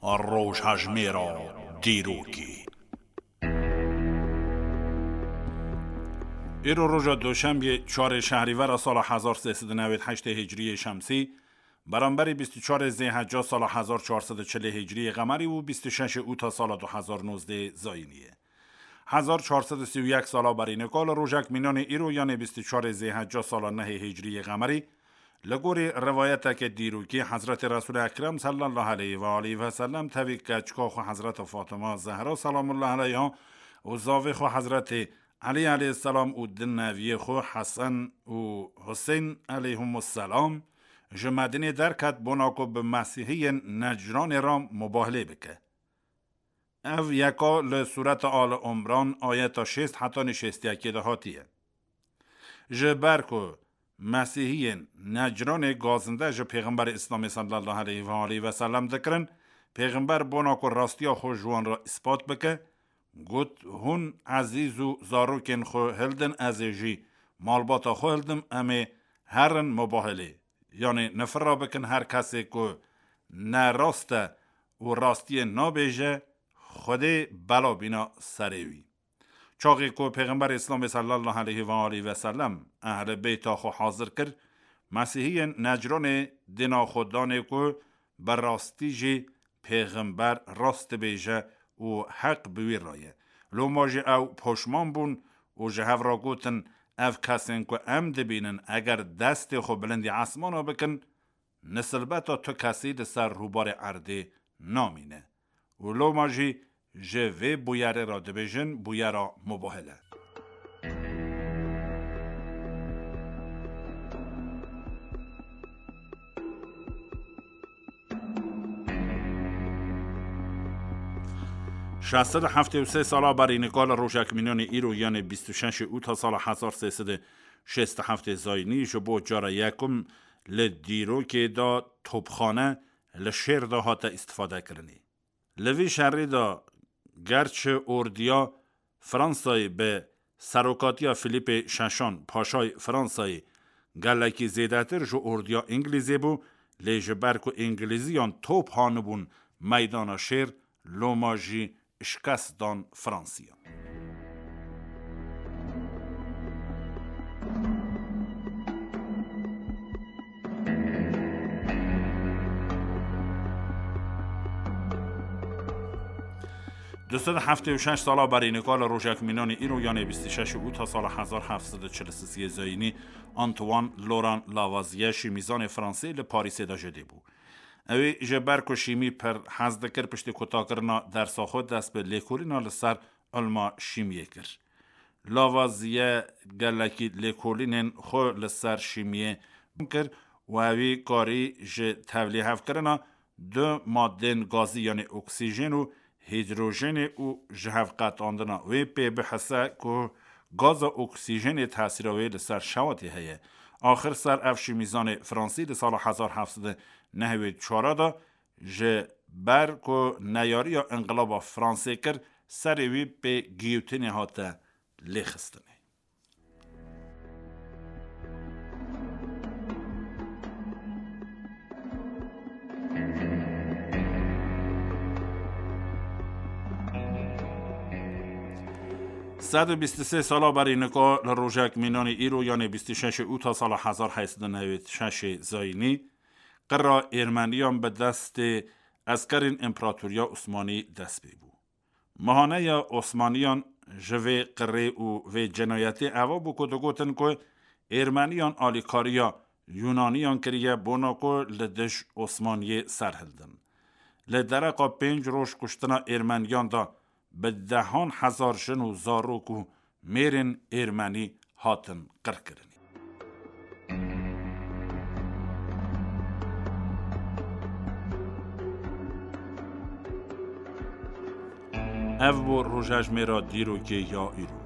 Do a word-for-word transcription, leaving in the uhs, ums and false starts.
Rojhejmêra dîrokê. Îro roja Doşembiyê, çarê Şehrîvera sala hezar sê sed û newêd heştê Hicriyê Şemsî, beramberî bîst û çarê Zêhecca sala hezar çar sed û çilê Hicriyê Qemerî û bîst û şeşê Ûta sala du hezar nozdeh Zayînî ye. Hezar çar sed û sî û yek sala berî nika li rojek mînanê îro, yanê bîst û çarê Zêhecca sala nehê Hicriyê Qemerî, li gorî rivayeteke dîrokî, Hezretê Resûlê Ekrem sallallahu aleyhi ve aleyhi ve sellem tevî keçika xwe Hezreta Fatima Zehra selamullahi aleyha û zavê xwe Hezretê Elî aleyhisselam û di neviyê xwe Hesen û Huseyn aleyhimusselam ji Medînê derket bona ku bi Mesîhiyên Necranê re mubahelê bike. Ev yeka li Sûreta Ali Imran ayeta şêst hetanî şêst û yekê de hatiye. Ji ber ku Mesîhiyên Necranê gazinde ji Pêxemberê Îslamê sallallahu aleyhi ve aleyhi ve sellem dikirin, Pêxember bona ku rastiya xwe ji wan re îspat bike, got, Hûn ezîz û zarokên xwe hildin, ez ê jî malbata xwe hildim, em ê herin mubahelê. Yanê nifir re bikin, her kesê ku ne rast e û rastiyê nabêje, Xwedê bela bîna serê wî. Çaxê ku Pêxember Îslamê sallallahu aleyhi ve aleyhi ve sellem ehli beyta xwe hazir kir, Mesîhiyên Necranê dîna xwe danê ku bi rastî jî Pêxember rast dibêje û heq bi wî re ye. Loma jî ew poşman bûn û ji hev re gotin, Ev kesên ku em dibînin, eger destê xwe bilindî esmana bikin, nisilbeta tu kesî li ser rûbarê erdê namîne. Û loma jî ji vê bûyerê re dibêjin bûyera mubahele. Şeş sed û heftê û sê sala berî nika li rojek mînanê îro, yanê bîst û şeşê Ûta sala hezar sê sed û şêst û heftê Zayînî, ji bo cara yekum li dîrokê de topxane li şêr de hate îstifadekirinê. Li vî şerî de gerçi ordiya Fransayê bi serokatiya Filîpê Şeşan, Paşayê Fransayê, gelekî zêdetir ji ordiya Îngilîzê bû, lê ji ber ku Îngilîziyan top hanibûn meydana şêr, loma jî şikest dan Fransiyan. Du sed heftê û şeş sala berî nika li rojek mînanê îro, yanê bîst û şeş Ûta sala hezar heft sed û çil û sisê Zayînî, Antoine Laurent Lavoisier, şîmîzanê Fransê, li Parîsê de jidê bû. Ew ê ji ber ku şîmî pir hez dikir, piştî kutakirina dersa xwe dest bi lêkolîna li ser ilma şîmiyê kir. Lavoisier gelekî lêkolînên xwe li ser şîmiyê kir û ewî karî ji tevlîhevkirina du madên gazî, yanî oksîjen û hîdrojenê û ji hev qetandina wê pê bihise ku gaza oksîjenê tesîra wê li ser şewatê heye. Axir ser ev şîmîzanê Fransî li sala hezar heft sed û nehwê çar de ji ber ku neyariya înqilaba Fransê kir, serê wî pê giyotînê hate lêxistinê. Sed û bîst û sê sala berî nika li rojek mînanê îro, yanê bîst û şeşê Ûta sala hezar heyt sed û newêd şeşê Zayînî, qira Êrmeniyan bi destê eskerên Împaratoriya Osmanî dest pê bû. Mihaneya Osmaniyan ji vê qirê û vê cinayetê eva bû ku digotin ku Êrmeniyan alîkariya Yûnaniyan kiriye bona ku li dij Osmaniyê serhildin. Li dereqa pênc roj kuştina Êrmeniyan de bi dehan hezar jin û zarok û mêrên Êrmenî hatin qirkirinê. Ev bû rojejmêra dîrokê ya îro.